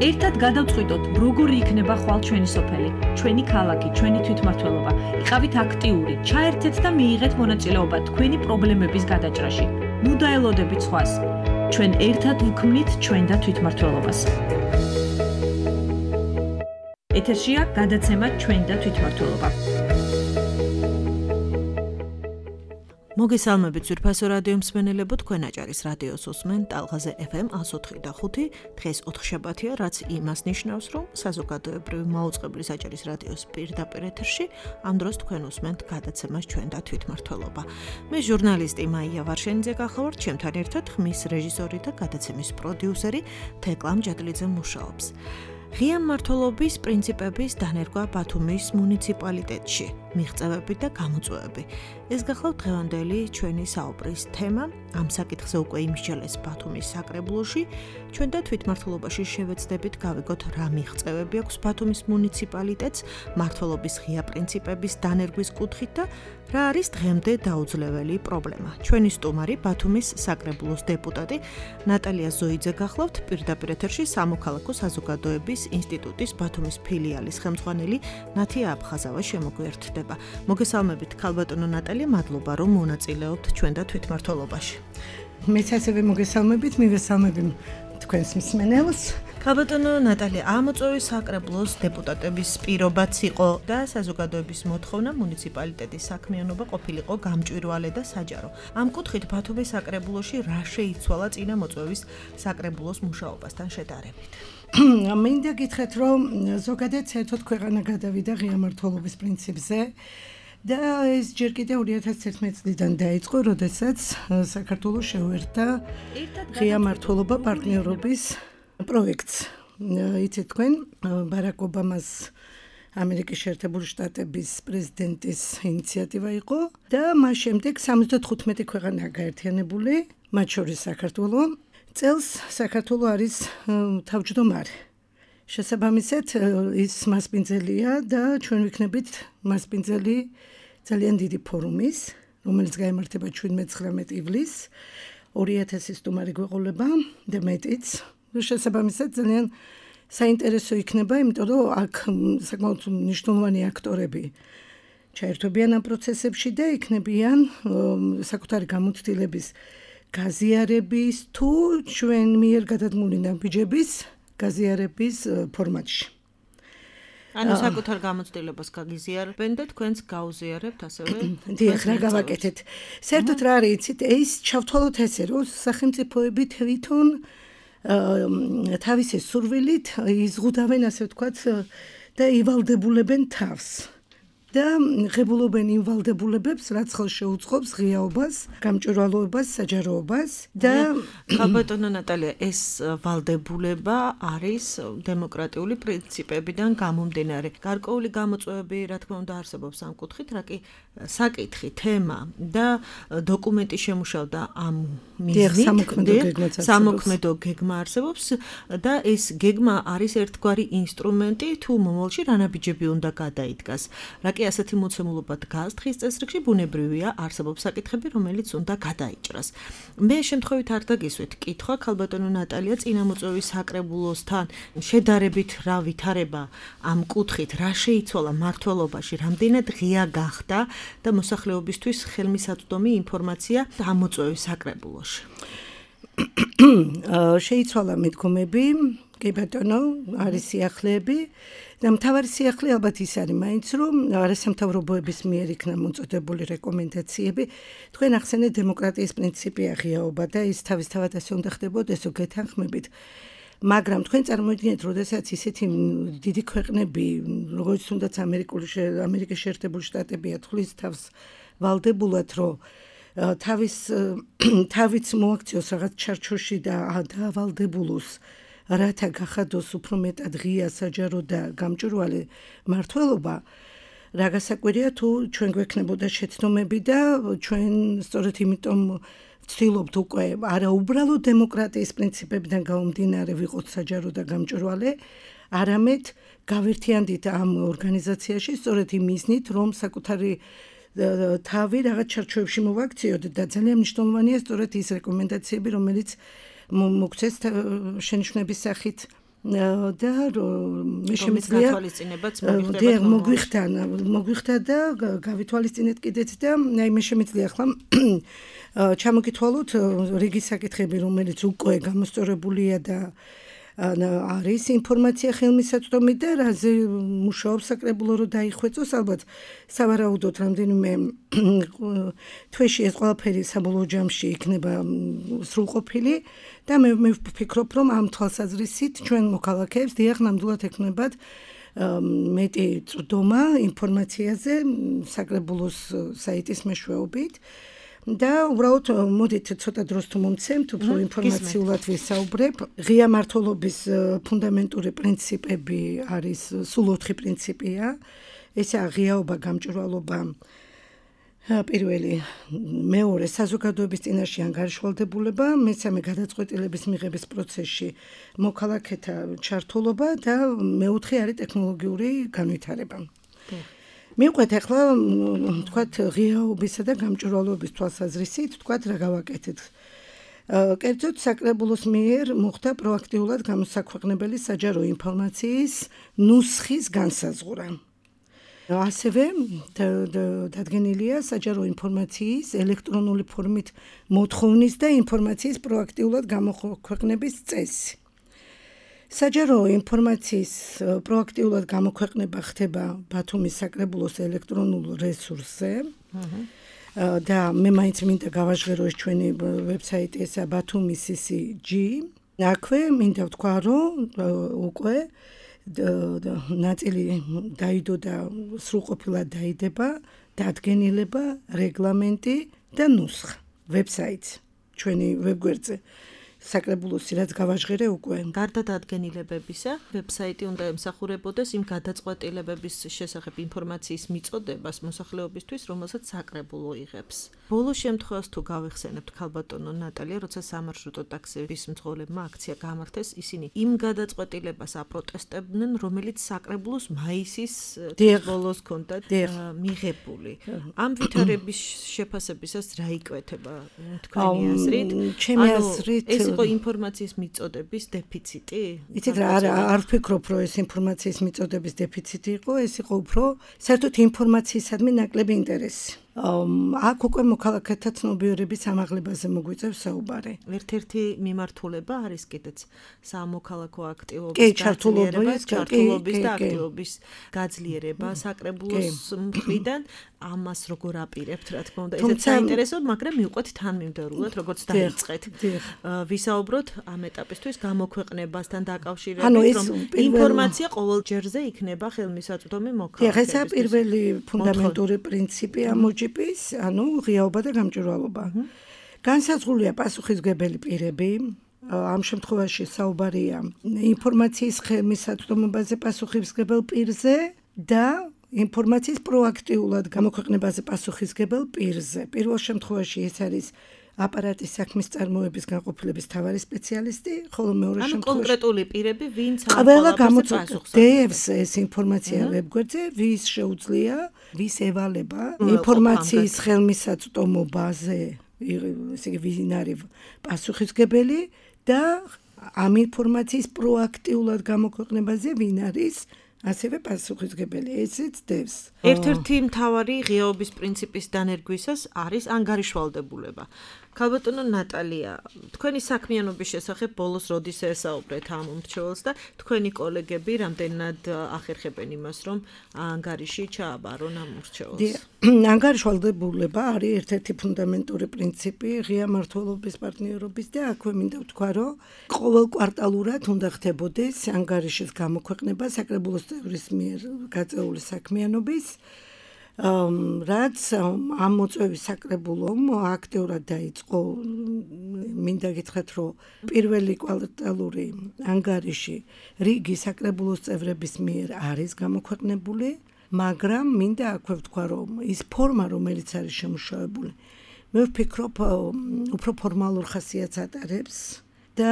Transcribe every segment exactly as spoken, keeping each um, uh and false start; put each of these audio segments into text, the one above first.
ერთად გადავწყვიტოთ, როგორი იქნება ხვალ ჩვენი სოფელი, ჩვენი ქალაქი, ჩვენი თვითმმართველობა. იყავით აქტიური, ჩაერთეთ და მიიღეთ მონაწილეობა თქვენი პრობლემების გადაჭრაში. ნუ დაელოდებით სხვას. ჩვენ ერთად ვქმნით ჩვენ და თვითმმართველობას. ეთერშია გადაცემა ჩვენ და თვითმმართველობა. მოგესალმებით ძვირფასო რადიო მსმენელებო, თქვენ აჭარის რადიოს უსმენთ ტალღაზე ეფ ემ εκατს ოთხი და ხუთი. დღეს ოთხშაბათია, რაც იმას ნიშნავს, რომ საზოგადოებრივი მაუწყებლის აჭარის რადიოს პირდაპირ ეთერში ამ დროს თქვენ უსმენთ გადაცემას ჩვენ და თვითმმართველობა. მე ჟურნალისტი მაია ვარშენიძე გახლავართ, ჩემთან ერთად ხმის რეჟისორი და გადაცემის პროდიუსერი თეკლა მჯადლიძე მუშაობს. ღია მმართველობის პრინციპების დანერგვა ბათუმის მუნიციპალიტეტში, მიღწევები და გამოწვევები. ეს გახლავთ დღევანდელი ჩვენი საუბრის თემა. ამ საკითხზე უკვე იმსჯელეს ბათუმის საკრებულოში. ჩვენ და თვითმმართველობაში შევეცდებით გავიგოთ, რა მიღწევები აქვს ბათუმის მუნიციპალიტეტს მმართველობის ღია პრინციპების დანერგვის კუთხით და რა არის დღემდე დაუძლეველი პრობლემა. ჩვენი სტუმარი ბათუმის საკრებულოს დეპუტატი ნატალია ზოიძე გახლავთ, პირდაპირ ეთერში სამოქალაქო საზოგადოების ინსტიტუტის ბათუმის ფილიალის ხელმძღვანელი ნათია აფხაზავა შემოგვიერთდება. მოგესალმებით ქალბატონო ნატალია, მადლობა რომ მონაწილეობთ ჩვენ და თვითმმართველობაში. მეც ასევე მოგესალმებით, მივესალმები თქვენს მსმენელს. ქალბატონო ნატალია, ამოწვევის საკრებულოს დეპუტატების პირობაც იყო და საზოგადოების მოთხოვნა მუნიციპალიტეტის საქმიანობა ყოფილიყო გამჭვირვალე და საჯარო. ამ კუთხით ბათუმის საკრებულოში რა შეიცვალა წინა მოწვევის საკრებულოს მუშაობასთან შედარებით? მინდა გითხრათ, რომ ზოგადად საერთოდ ქვეყანა გადავიდა ღია მმართველობის პრინციპზე და ეს ჯერ კიდევ ორი ათას თერთმეტი წლიდან დაიწყო, როდესაც საქართველოს შეუერთდა ღია მმართველობა პარტნიორობის პროექტს. იცით თქვენ, ბარაკ ობამას ამერიკის შეერთებული შტატების პრეზიდენტის ინიციატივა იყო და მას შემდეგ სამოცდათხუთმეტი ქვეყანაა გაერთიანებული, მათ შორის საქართველო. წელს საქართველო არის თავმჯდომარე. შესაბამისად, ის მასპინძელია და ჩვენ ვიქნებით მასპინძელი ძალიან დიდი ფორუმის, რომელიც გაიმართება შვიდმეტ-ცხრამეტ ივლისს. ორი ათასი სტუმარი გვეყოლება და მეტიც. შესაბამისად, ძალიან საინტერესო იქნება, იმიტომ რომ აქ საკმაოდ მნიშვნელოვანი აქტორები ჩაერთვებიან ამ პროცესებში და იქნებიან საკუთარი გამოცდილების გაზიარების თუ ჩვენ მიერ გადადგმული ნაბიჯების გაზიარების ფორმატში. ანუ საკუთარ გამოცდილებას გაგიზიარებენ და თქვენც გაუზიარებთ ასევე. დიახ, რა გავაკეთეთ. საერთოდ რა არის, იცით, ეს ჩავთვალოთ ესე, რომ სახელმწიფოები თვითონ თავისი სურვილით იზღუდავენ, ასე ვთქვათ, და ივალდებულებენ თავს. და ღებულობენ იმ ვალდებულებებს, რაც ხელს შეუწყობს ღიაობას, გამჭვირვალობას, საჯაროობას და ქალბატონო ნატალია, ეს ვალდებულება არის დემოკრატიული პრინციპებიდან გამომდინარე. გარკვეული გამოწვევები, რა თქმა უნდა, არსებობს ამ კუთხით, რა კი საკითხი, თემა და დოკუმენტი შემუშავდა ამ მიზნით, სამოქმედო გეგმა არსებობს და ეს გეგმა არის ერთგვარი ინსტრუმენტი თუ მომავალში რა ნაბიჯები უნდა გადაიდგას. რა კი ასეთი მოცემულობა დგას დღის წესრიგში, ბუნებრივია, არსებობს საკითხები, რომელიც უნდა გადაიჭრას. მე შემთხვევით არ დაგისვით კითხვა, ქალბატონო ნატალია, წინა მოწვევის საკრებულოსთან შედარებით რა ვითარება ამ კუთხით, რა შეიცვალა მმართველობაში, რამდენად ღია გახდა და მოსახლეობისთვის ხელმისაწვდომი ინფორმაცია ამ მოწვევის საკრებულოში. შეიცვალა მიდგომები, კი ბატონო, არის სიახლეები. და მთავარი სიახლე ალბათ ის არის მაინც, რომ არასამთავრობოების მიერ იქნა მოწოდებული რეკომენდაციები. თქვენ ახსენეთ, დემოკრატიის პრინციპია ღიაობა და ის თავისთავად ასე უნდა ხდებოდეს, გეთანხმებით. მაგრამ თქვენ წარმოიდგინეთ, როდესაც ისეთი დიდი ქვეყნები, როგორც თუნდაც ამერიკის შეერთებული შტატები ათვლის თავს ვალდებულად, რომ თავის თავიც მოაქციოს რაღაც ჩარჩოში და დაავალდებულოს, რათა გახადოს უფრო მეტად ღია, საჯარო და გამჭვირვალე მმართველობა, რა გასაკვირია თუ ჩვენ გვექნებოდა შეცდომები და ჩვენ სწორედ იმიტომ ვცდილობთ უკვე არა უბრალოდ დემოკრატიის პრინციპებიდან გამომდინარე ვიყოთ საჯარო და გამჭვირვალე, არამედ გავერთიანდით ამ ორგანიზაციაში სწორედ იმ მიზნით, რომ საკუთარი თავი რაღაც ჩარჩოებში მოვაქციოთ და ძალიან მნიშვნელოვანია სწორედ ის რეკომენდაციები, რომელიც მოგცეს შენიშვნების სახით და მე შემიძლია მოგვიხდა მოგვიხდა და გავითვალისწინეთ კიდეც და აი მე შემიძლია ახლა ჩამოგითვალოთ რიგი საკითხები რომელიც უკვე გამოსწორებულია და არის ინფორმაცია ხელმისაწვდომი და რაზე მუშაობს საკრებულო რომ დაიხვეწოს ალბათ სავარაუდოდ რამდენიმე თვეში ეს ყველაფერი საბოლოო ჯამში იქნება სრულყოფილი და მე მე ვფიქრობ რომ ამ თვალსაზრისით ჩვენ მოქალაქეებს დიახ ნამდვილად ექნებათ მეტი წვდომა ინფორმაციაზე საკრებულოს საიტის მეშვეობით და უბრალოდ მოდით ცოტა დროს თუ მომცემთ უფრო ინფორმაციულად ვისაუბრებ ღია მართლობის ფუნდამენტური პრინციპები არის სულ ოთხი პრინციპია ესაა ღიაობა გამჭვირვალობა პირველი მეორე საზოგადოების წინაშე ანგარიშვალდებულება მესამე გადაწყვეტილების მიღების პროცესში მოქალაქეთა ჩართულობა და მეოთხე არის ტექნოლოგიური განვითარება მივყვეთ ახლა თქვათ ღიაობისა და გამჭვირვალობის თვალსაზრისით თქვათ რა გავაკეთეთ კერძოდ საკრებულოს მიერ მოხდა პროაქტიულად გამოსაქვეყნებელი საჯარო ინფორმაციის ნუსხის განსაზღვრა ასევე დადგენილია საჯარო ინფორმაციის ელექტრონული ფორმით მოთხოვნის და ინფორმაციის პროაქტიულად გამოქვეყნების წესი საჯარო ინფორმაციის პროაქტიულად გამოქვეყნება ხდება ბათუმის საკრებულოს ელექტრონულ რესურსზე და მე მაინც მინდა გავაჟღერო ეს ჩვენი ვებსაიტი ესა ბათუმი სი სი ჯი აქვე მინდა ვთქვა რომ უკვე ნაწილი დაიდო და სრულყოფილად დაიდება დადგენილება რეგლამენტი და ნუსხა ვებსაიტს ჩვენი ვებგვერდზე საკრებულოსი რაც გავაჟღერე უკვე გარდა დადგენილებებისა ვებსაიტი უნდა ემსახურებოდეს იმ გადაწყვეტილებების შესახებ ინფორმაციის მიწოდებას მოსახლეობისთვის რომელსაც საკრებულო იღებს ბოლო შემთხვევას თუ გავიხსენებთ ქალბატონო ნატალია როცა სამარშრუტო ტაქსის მძღოლებმა აქცია გამართეს ისინი იმ გადაწყვეტილებას აპროტესტებდნენ რომელიც საკრებულოს მაისის ბოლოს ჰქონდათ მიღებული ამ ვითარების შეფასებისას რა იკვეთება თქვენი აზრით ჩემი აზრით იყო ინფორმაციის მიწოდების დეფიციტი? იცით რა არ ვფიქრობ რომ ეს ინფორმაციის მიწოდების დეფიციტი იყო, ეს იყო უფრო საერთოდ ინფორმაციისადმი ნაკლები ინტერესი. აქ უკვე მოქალაქეთა ცნობიერების ამაღლებაზე მოგვიწევს საუბარი. ერთ-ერთი მიმართულება არის კიდეც სამოქალაქო აქტივობის გაძლიერება, ჩართულობის და აქტივობის გაძლიერება საკრებულოს მხრიდან. ამას როგორ აპირებთ, რა თქმა უნდა, ესეც საინტერესოა, მაგრამ მივყვეთ თანმიმდევრულად, როგორც დაიწყეთ. ვისაუბროთ ამ ეტაპისთვის გამოქვეყნებასთან დაკავშირებით, რომ ინფორმაცია ყოველ ჯერზე იქნება ხელმისაწვდომი მოქალაქეებისთვის. ეს პირველი ფუნდამენტური პრინციპი ამ ჯიპის, ანუ ღიაობა და გამჭვირვალობა. განსაზღვრულია პასუხისმგებელი პირები, ამ შემთხვევაში საუბარია ინფორმაციის ხელმისაწვდომობაზე პასუხისმგებელ პირზე და ინფორმაციის პროაქტიულად გამოქვეყნებაზე პასუხისმგებელ პირზე. პირველ შემთხვევაში ეს არის აპარატის საქმის წარმოების განყოფილების მთავარი სპეციალისტი, ხოლო მეორე შემთხვევაში კონკრეტული პირები, ვინც ამ ყველა გამოწვევს ეს ინფორმაცია ვებგვერდზე, ვის შეუძლია, ვის ევალება ინფორმაციის ხელმისაწვდომობაზე, ესე იგი ვინ არის პასუხისმგებელი და ამ ინფორმაციის პროაქტიულად გამოქვეყნებაზე ვინ არის ასევე პასუხისმგებელი ესეც დევს. ერთ-ერთი მთავარი ღიაობის პრინციპის დანერგვისას არის ანგარიშვალდებულება. ქალბატონო ნატალია, თქვენი საქმიანობის შესახებ ბოლოს როდის ესაუბრეთ ამ მრჩეველს და თქვენი კოლეგები რამდენად ახერხებენ იმას, რომ ანგარიში ჩააბარონ ამ მრჩეველს? ანგარიშვალდებულება არის ერთ-ერთი ფუნდამენტური პრინციპი ღია მმართველობის პარტნიორობის და აქვე მინდა ვთქვა, რომ ყოველ კვარტალურად უნდა ხდებოდეს ანგარიშის გამოქვეყნება საკრებულოს წევრის მიერ გაწეული საქმიანობის რაც ამ მოწვევის საკრებულომ აქტიურად დაიწყო მინდა გითხრათ რომ პირველი კვარტალური ანგარიში რიგი საკრებულოს წევრების მიერ არის გამოქვეყნებული მაგრამ მინდა აქვე ვთქვა რომ ის ფორმა რომელიც არის შემუშავებული მე ვფიქრობ უფრო ფორმალურ ხასიათს ატარებს და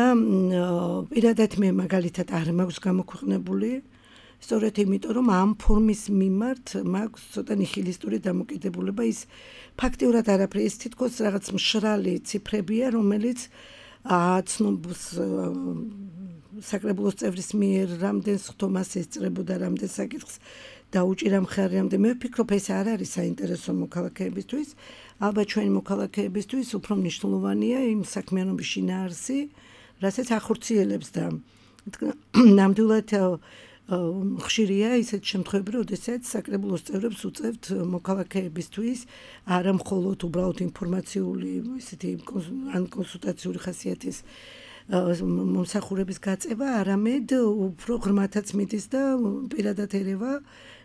პირადად მე მაგალითად არ მაქვს გამოქვეყნებული სწორედ იმიტომ რომ ამ ფორმის მიმართ მაქვს ცოტა ნიჰილისტური დამოკიდებულება ის ფაქტიურად არაფერი ის თითქოს რაღაც მშრალი ციფრებია რომელიც აცნობს საკრებულოს წევრის მიერ რამდენს ხთომას ესწრებოდა, რამდენ საკითხს დაუჭირა მხარი, რამდენ მე ვფიქრობ ეს არ არის საინტერესო მოქალაქეებისთვის. ალბათ ჩვენი მოქალაქეებისთვის უფრო მნიშვნელოვანია იმ საქმიანობის შინაარსი, რასაც ახორციელებს და ნამდვილად ხშირია ისეთ შემთხვევები, როდესაც საკრებულოს წევრებს უწევთ მოქალაქეებისთვის არა მხოლოდ უბრალოდ ინფორმაციული, ისეთი ან კონსულტაციური ხასიათის მომსახურების გაწევა, არამედ უფრო ღრმათაც მიდის და პირადად ერევა,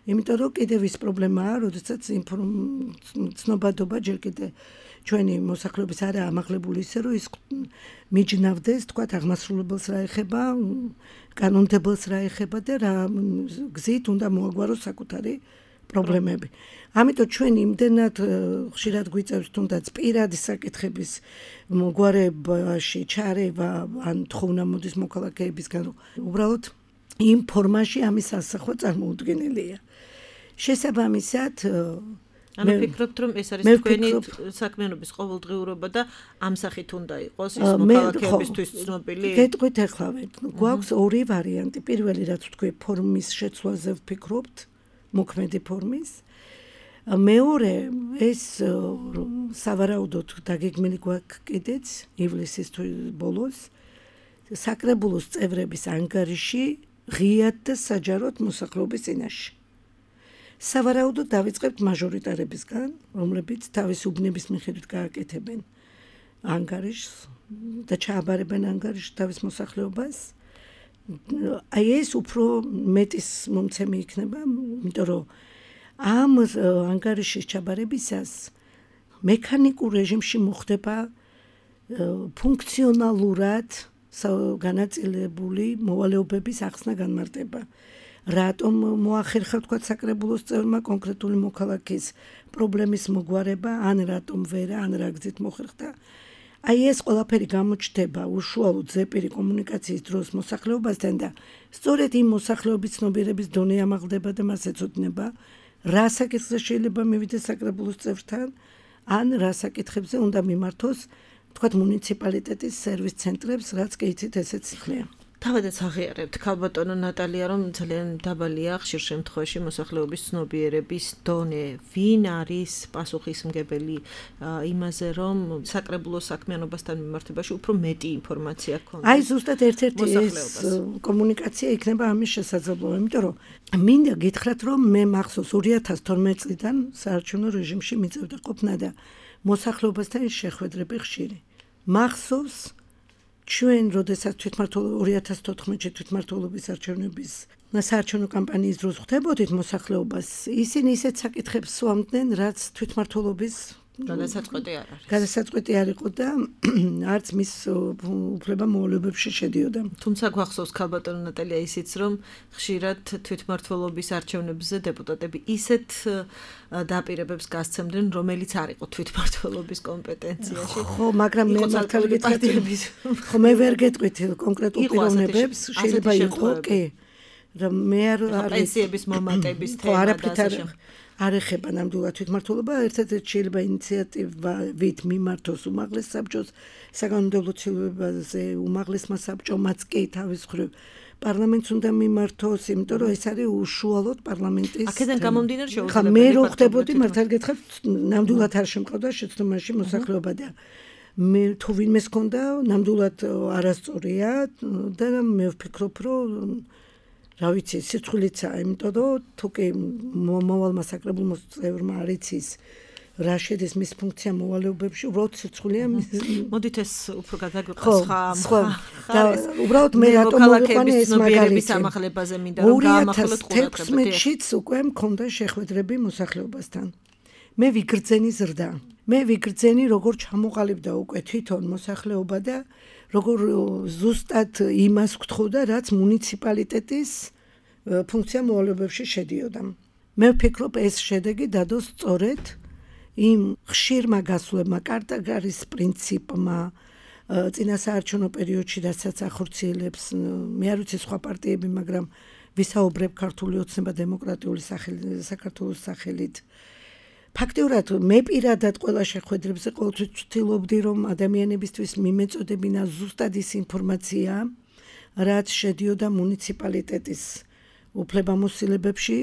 იმიტომ რომ კიდევ ის პრობლემაა, როდესაც ცნობადობა ჯერ კიდე ჩვენი მოსახლეობის არაა ამაღლებული ისე, რომ ის მიჯნავდეს, თქვათ, აღმასრულებელს რა ეხება, კანონმდებელს რა ეხება და რა გზით უნდა მოაგვაროს საკუთარი პრობლემები. ამიტომ ჩვენ იმდენად ხშირად გვიწევს თუნდაც პირადი საკითხების მოგვარებაში ჩარევა ან თხოვნა მოდის მოქალაქეებისგან, უბრალოდ იმ ფორმაში ამის ასახვა წარმოუდგენელია. შესაბამისად ანუ ვფიქრობთ, რომ ეს არის თქვენი საქმიანობის ყოველდღიურობა და ამ სახით უნდა იყოს ის მოქალაქეებისთვის ცნობილი. გეტყვით ახლავე, გვაქვს ორი ვარიანტი. პირველი, რაც თქვი, ფორმის შეცვლაზე ვფიქრობთ, მოქმედი ფორმის. მეორე, ეს სავარაუდოდ დაგეგმილი გვაქვს კიდეც ივლისის ბოლოს საკრებულოს წევრების ანგარიში ღიად და საჯაროდ მოსახლეობის წინაშე. სავარაუდოდ დავიწყებთ მაჟორიტარებისგან, რომლებიც თავის უბნების მიხედვით გააკეთებენ ანგარიშს და ჩააბარებენ ანგარიშს თავის მოსახლეობას. აი ეს უფრო მეტის მომცემი იქნება, იმიტომ რომ ამ ანგარიშის ჩაბარებისას მექანიკურ რეჟიმში მოხდება ფუნქციონალურად განაწილებული მოვალეობების ახსნა განმარტება. რატომ მოახერხა თქვა საკრებულოს წევრმა კონკრეტული მოქალაქის პრობლემის მოგვარება, ან რატომ ვერა, ან რა გზით მოხერხდა. აი ეს ყველაფერი გამოჩნდება უშუალოდ ზეპირი კომუნიკაციის დროს მოსახლეობასთან და სწორედ იმ მოსახლეობის ცნობიერების დონე ამაღლდება და მას ეცოდნება, რა საკითხზე შეიძლება მივიდეს საკრებულოს წევრთან, ან რა საკითხებზე უნდა მიმართოს თქვა მუნიციპალიტეტის სერვის ცენტრებს, რაც კი იცით ესეც ხლია. თავადაც აღიარებთ ქალბატონო ნატალია, რომ ძალიან დაბალია ხშირ შემთხვევაში მოსახლეობის ცნობიერების დონე. ვინ არის პასუხისმგებელი იმაზე, რომ საკრებულოს საქმიანობასთან მიმართებაში უფრო მეტი ინფორმაცია ქონდეს? აი ზუსტად ერთ-ერთი ეს კომუნიკაცია იქნება ამის შესაძლებლობა, იმიტომ რომ მინდა გითხრათ, რომ მე მახსოვს ორი ათას თორმეტი წლიდან საარჩევნო რეჟიმში მიწევდა ყოფნა და მოსახლეობასთან შეხვედრები ხშირი. მახსოვს ჩვენ როდესაც თვითმმართველობა ორი ათას თოთხმეტში თვითმმართველობის არჩევნების საარჩევნო კამპანიის დროს ხვდებოდით მოსახლეობას, ისინი ისეთ საკითხებს სვამდნენ, რაც თვითმმართველობის გადასაწყვეტი არ არის. გადასაწყვეტი არ იყო და არც მის უფლება მოვალეობებში შედიოდა. თუმცა გვახსოვს ქალბატონო ნატალია ისიც, რომ ხშირად თვითმმართველობის არჩევნებზე დეპუტატები ისეთ დაპირებებს გასცემდნენ, რომელიც არ იყო თვითმმართველობის კომპეტენციაში. ხო, მაგრამ მე მართალი გითხრათ, ხო მე ვერ გეტყვით კონკრეტულ პიროვნებებს, შეიძლება იყო, კი. რომ მე არ პენსიების მომატების თემა და არ ეხება ნამდვილად თვითმმართველობა, ერთადერთი შეიძლება ინიციატივით მიმართოს უმაღლეს საბჭოს საკანონმდებლო ცვლილებაზე, უმაღლესმა საბჭომაც კი თავის მხრივ პარლამენტს უნდა მიმართოს, იმიტომ რომ ეს არის უშუალოდ პარლამენტის. აქედან გამომდინარე შეუძლია. ხა მე რო ხდებოდი, მართალი გითხრათ, ნამდვილად არ შემყავდა შეცდომაში მოსახლეობა და მე თუ ვინმეს ქონდა, ნამდვილად არასწორია და მე ვფიქრობ, რომ რა ვიცი, სიცხვილიცაა, იმიტომ რომ თუ კი მოვალმა საკრებულოს წევრმა არ იცის რა შედის მის ფუნქცია მოვალეობებში, უბრალოდ სიცხვილეა. მოდით ეს უფრო გადაგვიყოს ხა. და უბრალოდ მე რატომ მოვიყვანე ეს მაგალითი ამახლებაზე მინდა რომ გაამახვილოთ ყურადღება. ორი ათას თექვსმეტშიც უკვე მქონდა შეხვედრები მოსახლეობასთან. მე ვიგრძენი ზრდა. მე ვიგრძენი როგორ ჩამოყალიბდა უკვე თვითონ მოსახლეობა და როგორ ზუსტად იმას გთხოვდა, რაც მუნიციპალიტეტის ფუნქცია მოვალეობებში შედიოდა. მე ვფიქრობ, ეს შედეგი დადო სწორედ იმ ხშირმა გასვლებმა, კარტაგარის პრინციპმა, წინასაარჩევნო პერიოდში, რასაც ახორციელებს, მე არ ვიცი სხვა პარტიები, მაგრამ ვისაუბრებ ქართული ოცნება დემოკრატიული საქართველოს სახელით. ფაქტიურად მე პირადად ყველა შეხვედრებზე ყოველთვის ვცდილობდი, რომ ადამიანებისთვის მიმეწოდებინა ზუსტად ის ინფორმაცია, რაც შედიოდა მუნიციპალიტეტის უფლებამოსილებებში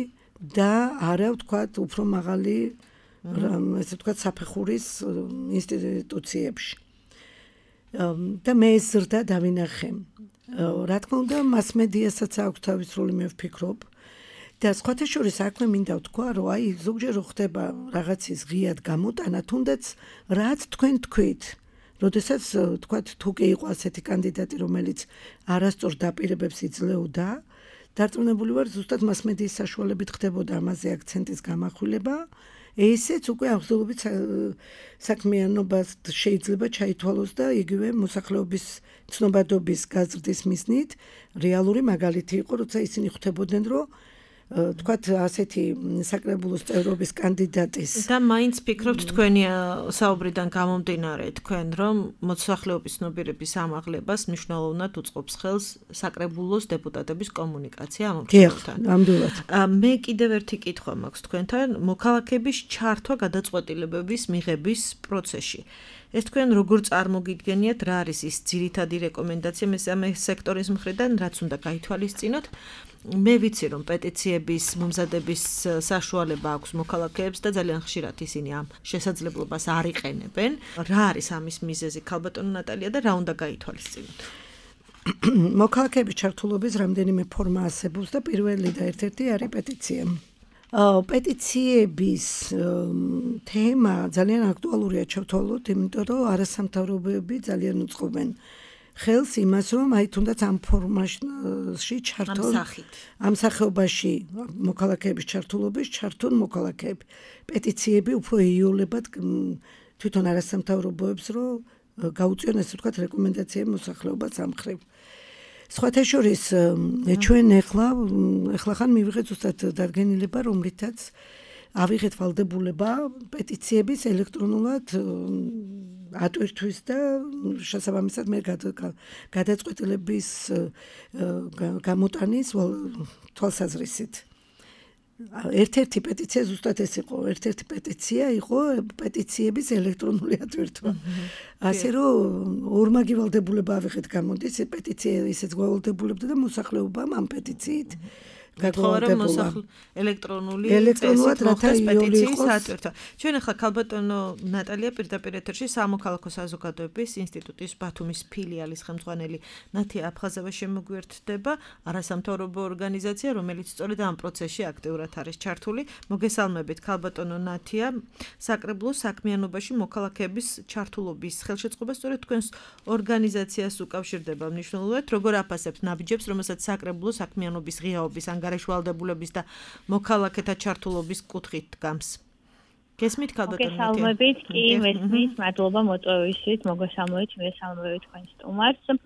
და არა ვთქვათ უფრო მაღალი ესე ვთქვათ საფეხურის ინსტიტუციებში. და მე ეს ზრდა დავინახე. რა თქმა უნდა, მასმედიასაც აქვს თავის როლი, მე ვფიქრობ. და სხვათა შორის აქვე მინდა ვთქვა, რომ აი ზოგჯერ რო ხდება რაღაცის ღიად გამოტანა, თუნდაც რაც თქვენ თქვით, როდესაც ვთქვათ, თუ კი იყო ასეთი კანდიდატი, რომელიც არასწორ დაპირებებს იძლეოდა, დარწმუნებული ვარ, ზუსტად მასმედიის საშუალებით ხდებოდა ამაზე აქცენტის გამახვილება. ესეც უკვე აღზრდობით საქმიანობას შეიძლება ჩაითვალოს და იგივე მოსახლეობის ცნობადობის გაზრდის მიზნით რეალური მაგალითი იყო, როცა ისინი ხვდებოდნენ, რომ თქვათ ასეთი საკრებულოს წევრობის კანდიდატის და მაინც ფიქრობთ თქვენი საუბრიდან გამომდინარე თქვენ რომ მოსახლეობის ცნობიერების ამაღლებას მნიშვნელოვნად უწყობს ხელს საკრებულოს დეპუტატების კომუნიკაცია ამ მრჩეველთან. ნამდვილად. მე კიდევ ერთი კითხვა მაქვს თქვენთან მოქალაქეების ჩართვა გადაწყვეტილებების მიღების პროცესში. ეს თქვენ როგორ წარმოგიდგენიათ რა არის ის ძირითადი რეკომენდაცია მესამე სექტორის მხრიდან რაც უნდა გაითვალისწინოთ? მე ვიცი რომ პეტიციების მომზადების საშუალება აქვს მოქალაქეებს და ძალიან ხშირად ისინი ამ შესაძლებლობას არ იყენებენ. რა არის ამის მიზეზი ქალბატონო ნატალია და რა უნდა გაითვალისწინოთ? მოქალაქეების ჩართულობის რამდენიმე ფორმა არსებობს და პირველი და ერთ-ერთი არის პეტიცია. პეტიციების თემა ძალიან აქტუალურია ჩავთვალოთ, იმიტომ რომ არასამთავრობოები ძალიან უწყობენ ხელს იმას, რომ აი თუნდაც ამ ფორმაში ჩართონ ამ სახეობაში მოქალაქეების ჩართულობის ჩართონ მოქალაქეები. პეტიციები უფრო იოლებად თვითონ არასამთავრობოებს, რომ გაუწიონ ესე ვთქვათ რეკომენდაციები მოსახლეობას ამ მხრივ. სხვათა შორის ჩვენ ეხლა ეხლა ხან მივიღეთ ზუსტად დადგენილება, რომლითაც ავიღეთ ვალდებულება პეტიციების ელექტრონულად ატვირთვის და შესაბამისად მე გადაწყვეტილების გამოტანის თვალსაზრისით. ერთ-ერთი პეტიცია ზუსტად ეს იყო, ერთ-ერთი პეტიცია იყო პეტიციების ელექტრონული ატვირთვა. ასე რომ ორმაგი ვალდებულება ავიღეთ გამოდის, პეტიცია ისეც გვალდებულებდა და მოსახლეობამ ამ პეტიციით გაგვალდებულა ელექტრონული ელექტრონულად რათა პეტიციის ატვირთვა. ჩვენ ახლა ქალბატონო ნატალია პირდაპირ ეთერში სამოქალაქო საზოგადოების ინსტიტუტის ბათუმის ფილიალის ხელმძღვანელი ნათია აფხაზავა შემოგვიერთდება, არასამთავრობო ორგანიზაცია, რომელიც სწორედ ამ პროცესში აქტიურად არის ჩართული. მოგესალმებით ქალბატონო ნათია, საკრებულოს საქმიანობაში მოქალაქეების ჩართულობის ხელშეწყობა სწორედ თქვენს ორგანიზაციას უკავშირდება მნიშვნელოვნად, როგორ აფასებთ ნაბიჯებს, რომელსაც საკრებულოს საქმიანობის ღიაობის გარეშვალდებულების და მოქალაქეთა ჩართულობის კუთხით დგამს. გესმით ქალბატონო? მოგესალმებით, კი, მესმის, მადლობა მოწვევისთვის, მოგესალმებით, მესალმებით თქვენს სტუმარს. აა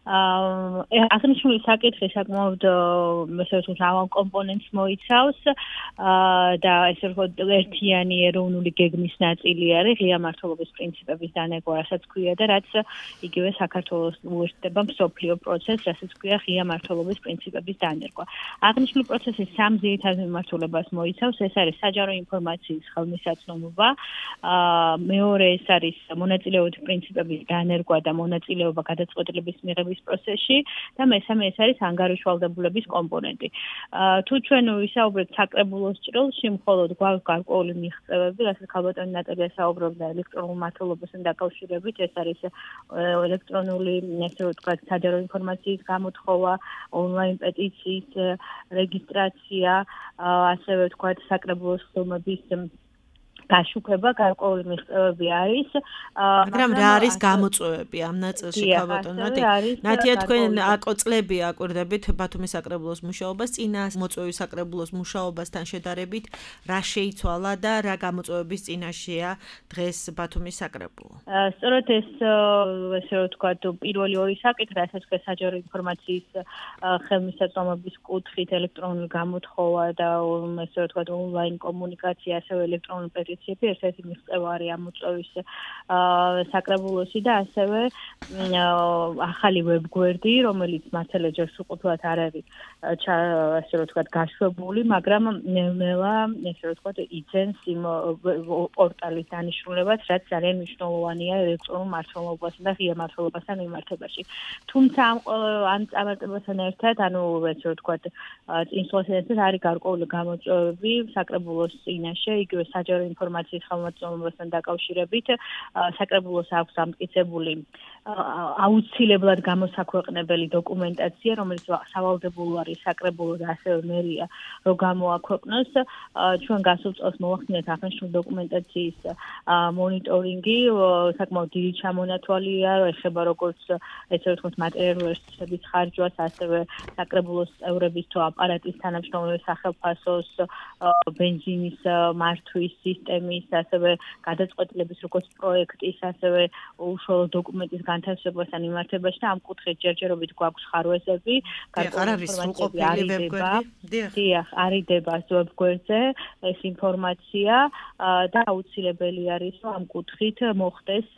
აღნიშნული საკითხი საკმაოდ ესე ვთქვათ ამავ კომპონენტს მოიცავს და ესე ვთქვათ ერთიანი ეროვნული გეგმის ნაწილი არის ღია მმართველობის პრინციპების დანერგვა, რასაც ქვია და რაც იგივე საქართველოს უერთდება მსოფლიო პროცესს, რასაც ქვია ღია მმართველობის პრინციპების დანერგვა. აღნიშნული პროცესი სამ ძირითად მიმართულებას მოიცავს, ეს არის საჯარო ინფორმაციის ხელმისაწვდომობა, აა მეორე ეს არის მონაწილეობის პრინციპების დანერგვა და მონაწილეობა გადაწყვეტილების მიღების პროცესში და მესამე ეს არის ანგარიშვალდებულების კომპონენტი. თუ ჩვენ ვისაუბრებთ საკრებულოს ჭრილში, მხოლოდ გვაქვს გარკვეული მიღწევები, რასაც ქალბატონი ნატალია საუბრობდა ელექტრონულ მმართველობასთან დაკავშირებით, ეს არის ელექტრონული, ესე ვთქვათ, საჯარო ინფორმაციის გამოთხოვა, ონლაინ პეტიციის რეგისტრაცია, ასევე ვთქვათ, საკრებულოს ხდომების გაშუქება, გარკვეული მიღწევები არის. მაგრამ რა არის გამოწვევები ამ ნაწილში ქალბატონო ნატალია? ნათია, თქვენ აკო წლები აკვირდებით ბათუმის საკრებულოს მუშაობას, წინა მოწვევის საკრებულოს მუშაობასთან შედარებით, რა შეიცვალა და რა გამოწვევების წინაშეა დღეს ბათუმის საკრებულო? სწორედ ეს ესე ვთქვათ, პირველი ორი საკითხი, რასაც ქვია საჯარო ინფორმაციის ხელმისაწვდომობის კუთხით ელექტრონული გამოთხოვა და ესე ვთქვათ ონლაინ კომუნიკაცია, ასევე ელექტრონული პეტიციები ერთ-ერთი მიღწევარი ამ მოწვევის საკრებულოში და ასევე ახალი ვებგვერდი, რომელიც მართალია ჯერ სრულყოფილად არ არის ასე რომ ვთქვათ გაშვებული, მაგრამ ნელა ესე რომ ვთქვათ იძენს იმ პორტალის დანიშნულებას, რაც ძალიან მნიშვნელოვანია ელექტრონულ მმართველობასთან და ღია მმართველობასთან მიმართებაში. თუმცა ამ ამ წარმატებასთან ერთად, ანუ ესე რომ ვთქვათ წინსვლასთან ერთად არის გარკვეული გამოწვევები საკრებულოს წინაშე, იგივე საჯარო ინფორმაციის ხელმოწერასთან დაკავშირებით, საკრებულოს აქვს დამტკიცებული აუცილებლად გამოსაქვეყნებელი დოკუმენტაცია, რომელიც სავალდებულო არის საკრებულო და ასევე მერია რომ გამოაქვეყნოს. ჩვენ გასულ წელს მოვახდინეთ აღნიშნული დოკუმენტაციის მონიტორინგი, საკმაოდ დიდი ჩამონათვალია, ეხება როგორც ესე ვთქვათ მატერიალური რესურსების ხარჯვას, ასევე საკრებულოს წევრების თუ აპარატის თანამშრომლობის სახელმწიფოს ბენზინის მართვის სისტემის, ასევე გადაწყვეტილების როგორც პროექტის, ასევე უშუალო დოკუმენტის განთავსებასთან მიმართებაში და ამ კუთხით ჯერჯერობით გვაქვს ხარვეზები, გარკვეული ინფორმაციები არიდება, დიახ, არიდება ვებგვერდზე ეს ინფორმაცია და აუცილებელი არის რომ ამ კუთხით მოხდეს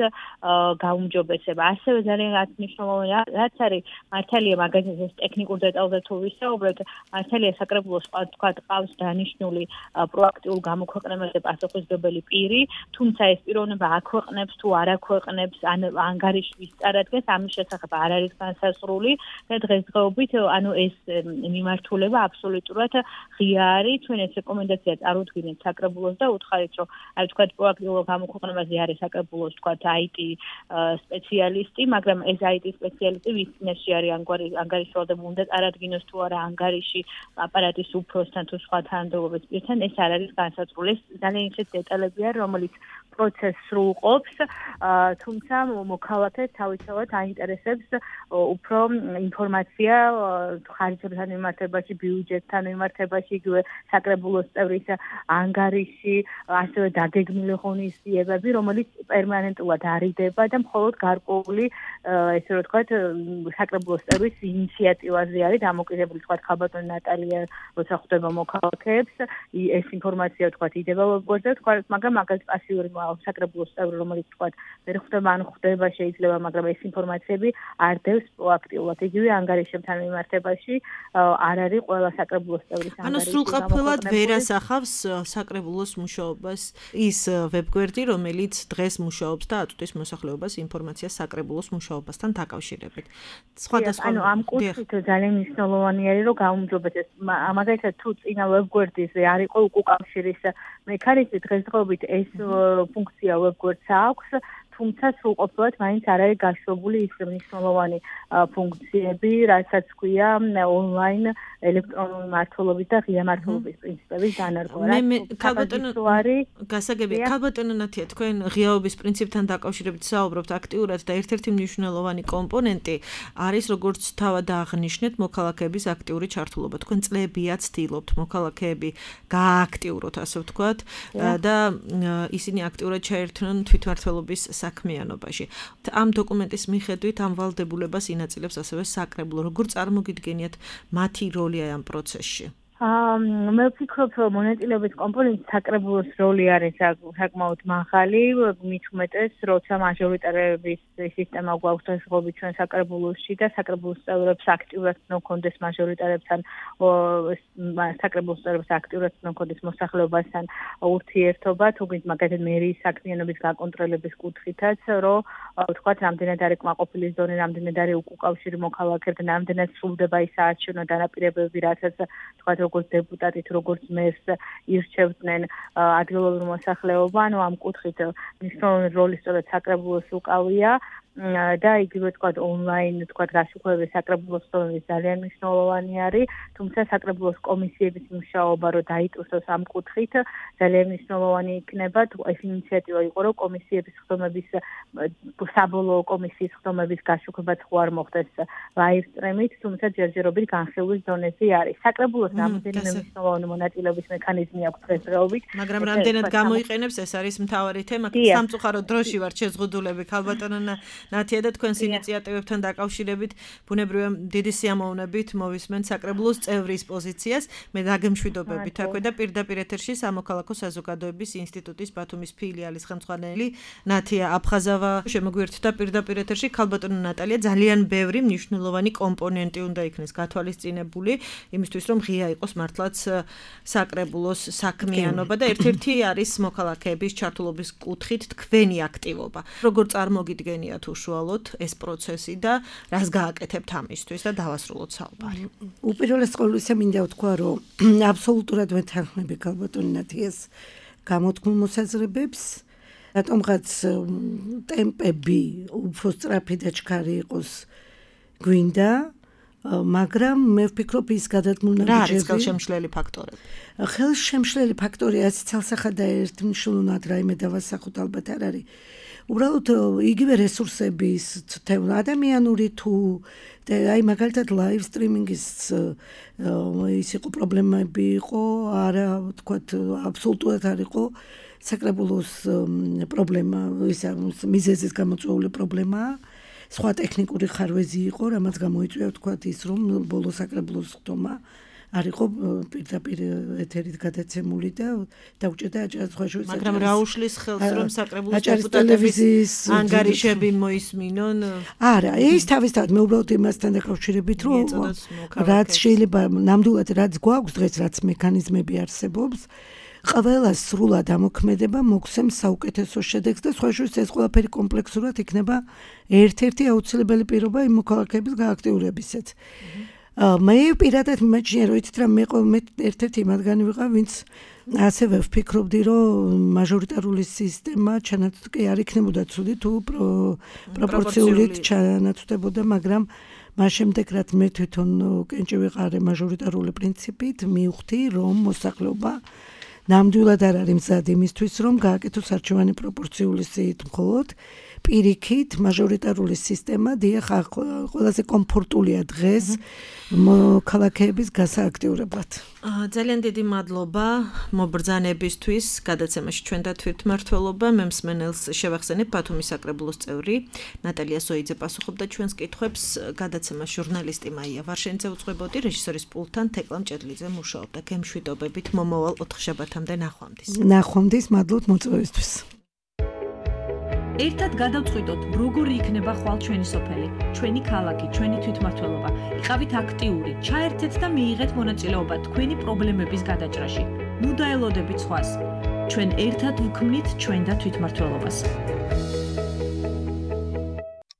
გაუმჯობესება. ასევე ძალიან მნიშვნელოვანია, რაც არის მართალია მაგაზინს ტექნიკურ დეტალზე თუ ვისაუბრებთ, მართალია საკრებულოს თქვათ ყავს დანიშნული პროაქტიულ გამოქვეყნებაზე პასუხისმგებელი პირი, თუმცა ეს პიროვნება აქვეყნებს თუ არ აქვეყნებს ან ანგარიში ვის წარადგენს, ამის შესახებ არ არის განსაზღვრული და დღესდღეობით ანუ ეს მიმართულება აბსოლუტურად ღია არის. ჩვენ ეს რეკომენდაცია წარუდგინეთ საკრებულოს და უთხარით, რომ აი თქვათ პროაქტიულ გამოქვეყნებაზე არის საკრებულოს თქვათ აი ტი სპეციალისტი, მაგრამ ეს აი ტი სპეციალისტი ვის წინაშე არის ანგარი ანგარიშვალდება უნდა წარადგინოს თუ არა ანგარიში აპარატის უფროსთან თუ სხვა თანამდებობის პირთან, ეს არ არის განსაზღვრული. ეს ძალიან ისეთი დეტალებია, რომელიც პროცესს სრულყოფს, თუმცა მოქალაქეს თავისთავად აინტერესებს უფრო ინფორმაცია ხარჯებთან მიმართებაში, ბიუჯეტთან მიმართებაში, იგივე საკრებულოს წევრის ანგარიში, ასევე დაგეგმილი ღონისძიებები, რომელიც პერმანენტულად არიდება და მხოლოდ გარკვეული, ესე რომ ვთქვათ, საკრებულოს წევრის ინიციატივაზე არის დამოკიდებული, თქვათ, ხალბატონი ნატალია, როცა ხვდება მოქალაქეებს, ეს ინფორმაცია ვთქვათ იდება ვებგვერდზე, თქვათ, მაგრამ მაგალითად პასიური საკრებულოს წევრი, რომელიც თქვათ, ვერ ხვდება ან ხვდება შეიძლება, მაგრამ ეს ინფორმაციები არ დევს პროაქტიულად. იგივე ანგარიშებთან მიმართებაში არ არის ყველა საკრებულოს წევრის ანგარიში. ანუ სრულყოფილად ვერ ასახავს საკრებულოს მუშაობას ის ვებგვერდი, რომელიც დღეს მუშაობს და აწვდის მოსახლეობას ინფორმაციას საკრებულოს მუშაობასთან დაკავშირებით. სხვადასხვა ანუ ამ კუთხით ძალიან მნიშვნელოვანი არის, რომ გაუმჯობესდეს. მაგალითად თუ წინა ვებგვერდზე არ იყო უკავშირის მექანიზმი, დღესდღეობით ეს ფუნქცია ვებგვერდს აქვს, თუმცა სრულყოფილად მაინც არ არის გაშვებული ის მნიშვნელოვანი ფუნქციები, რასაც ქვია ონლაინ ელექტრონული მმართველობის და ღია მმართველობის პრინციპების დანერგვა. მე ქალბატონო გასაგებია, ქალბატონო ნათია, თქვენ ღიაობის პრინციპთან დაკავშირებით საუბრობთ აქტიურად და ერთ-ერთი მნიშვნელოვანი კომპონენტი არის როგორც თავად აღნიშნეთ მოქალაქეების აქტიური ჩართულობა. თქვენ წლებია ცდილობთ მოქალაქეები გაააქტიუროთ, ასე ვთქვათ, და ისინი აქტიურად ჩაერთონ თვითმმართველობის საქმიანობაში. ამ დოკუმენტის მიხედვით ამ ვალდებულებას ინაწილებს ასევე საკრებულო. როგორ წარმოგიდგენიათ მათი როლი ამ პროცესში? მე ვფიქრობ, რომ მონაწილეობის კომპონენტის საკრებულოს როლი არის საკმაოდ მაღალი, მით უმეტეს, როცა მაჟორიტარების სისტემა გვაქვს დღესდღეობით ჩვენ საკრებულოში და საკრებულოს წევრებს აქტიურად ნოქონდეს მაჟორიტარებთან, საკრებულოს წევრებს აქტიურად ნოქონდეს მოსახლეობასთან ურთიერთობა, თუმცა მაგალითად მერიის საქმიანობის გაკონტროლების კუთხითაც, რომ ვთქვათ, რამდენად არის კმაყოფილი ზონი, რამდენად არის უკავშირი მოქალაქეებთან, რამდენად სრულდება ის საარჩევნო დანაპირებები, რასაც ვთქვათ, როგორც დეპუტატი თუ როგორც მერს ირჩევდნენ ადგილობრივ მოსახლეობა, ანუ ამ კუთხით მნიშვნელოვანი როლი სწორედ საკრებულოს უკავია. და იგივე თქვათ ონლაინ თქვათ გასაუბრებელი საკრებულოს სტორმის ძალიან მნიშვნელოვანი არის, თუმცა საკრებულოს კომისიების მუშაობა რო დაიწყოს ამ კუთხით ძალიან მნიშვნელოვანი იქნება. ეს ინიციატივა იყო, რომ კომისიების ხდომების საბოლოო კომისიის ხდომების გაშუქებაც ხო არ მოხდეს ლაივ სტრიმით, თუმცა ჯერჯერობით განხილვის დონეზე არის. საკრებულოს რამდენიმე მნიშვნელოვანი მონაწილეობის მექანიზმი აქვს დღესდღეობით, მაგრამ რამდენად გამოიყენებს ეს არის მთავარი თემა. სამწუხაროდ დროში ვართ შეზღუდულები, ქალბატონო ნათია და თქვენს ინიციატივებთან დაკავშირებით ბუნებრივია დიდი სიამოვნებით მოვისმენთ საკრებულოს წევრის პოზიციას. მე დაგემშვიდობებით აქვე და პირდაპირ ეთერში სამოქალაქო საზოგადოების ინსტიტუტის ბათუმის ფილიალის ხელმძღვანელი ნათია აფხაზავა შემოგვიერთდა პირდაპირ ეთერში. ქალბატონო ნატალია, ძალიან ბევრი მნიშვნელოვანი კომპონენტი უნდა იქნეს გათვალისწინებული იმისთვის, რომ ღია იყოს მართლაც საკრებულოს საქმიანობა და ერთ-ერთი არის მოქალაქეების ჩართულობის კუთხით თქვენი აქტივობა. როგორ წარმოგიდგენიათ უშუალოდ ეს პროცესი და რას გააკეთებთ ამისთვის და დავასრულოთ საუბარი. უპირველეს ყოვლისა მინდა ვთქვა, რომ აბსოლუტურად ვეთანხმები ქალბატონი ნათიას გამოთქმულ მოსაზრებებს. რატომღაც ტემპები უფრო სწრაფი და ჩქარი იყოს გვინდა, მაგრამ მე ვფიქრობ ის გადადგმული რა არის ხელშემშლელი ფაქტორები? ხელშემშლელი ფაქტორი არის ცალსახად და ერთმნიშვნელოვნად რაიმე დავასახოთ ალბათ არ არის. უბრალოდ იგივე რესურსების თემა ადამიანური თუ აი მაგალითად ლაივ სტრიმინგის ის იყო პრობლემები იყო, არა ვთქვათ აბსოლუტურად არ იყო საკრებულოს პრობლემა, ისა მიზეზის გამოწვეული პრობლემაა. სხვა ტექნიკური ხარვეზი იყო, რამაც გამოიწვია ვთქვათ ის, რომ ბოლო საკრებულოს ხდომა არ იყო პირდაპირ ეთერით გადაცემული და დაუჭერდა აჭარის სხვა შორის. მაგრამ რა უშლის ხელს, რომ საკრებულოს დეპუტატების ანგარიშები მოისმინონ? არა, ის თავისთავად მე უბრალოდ იმასთან დაკავშირებით, რომ რაც შეიძლება ნამდვილად რაც გვაქვს დღეს, რაც მექანიზმები არსებობს, ყველას სრულად ამოქმედება მოგცემს საუკეთესო შედეგს და სხვა შორის ეს ყველაფერი კომპლექსურად იქნება ერთ-ერთი აუცილებელი პირობა იმ მოქალაქეების გააქტიურებისას. მე პირადად მიმაჩნია, რომ იცით რა მე მე ერთ-ერთი მათგანი ვიყავ, ვინც ასევე ვფიქრობდი, რომ მაჟორიტარული სისტემა ჩანაცვლი არ იქნებოდა ცუდი თუ პროპორციულად ჩანაცვლებოდა, მაგრამ მას შემდეგ რაც მე თვითონ კენჭი ვიყარე მაჟორიტარული პრინციპით, მივხვდი, რომ მოსახლეობა ნამდვილად არ არის მზად იმისთვის, რომ გააკეთოს არჩევანი პროპორციული სიით მხოლოდ პირიქით მაჟორიტარული სისტემა დიახ ყველაზე კომფორტულია დღეს მოქალაქეების გასააქტიურებლად. ძალიან დიდი მადლობა მობრძანებისთვის გადაცემაში ჩვენ და თვითმმართველობა. მე მსმენელს შევახსენებ ბათუმის საკრებულოს წევრი ნატალია სოიძე პასუხობდა ჩვენს კითხვებს. გადაცემას ჟურნალისტი მაია ვარშენიძე უძღვებოდი, რეჟისორის პულტთან თეკლა მჭედლიძე მუშაობდა. გემშვიდობებით მომავალ ოთხშაბათამდე ნახვამდის. ნახვამდის, მადლობთ მოწვევისთვის. ერთად გადავწყვიტოთ, როგორი იქნება ხვალ ჩვენი სოფელი, ჩვენი ქალაქი, ჩვენი თვითმმართველობა. იყავით აქტიური, ჩაერთეთ და მიიღეთ მონაწილეობა თქვენი პრობლემების გადაჭრაში. ნუ დაელოდებით სხვას. ჩვენ ერთად ვქმნით ჩვენ და თვითმმართველობას.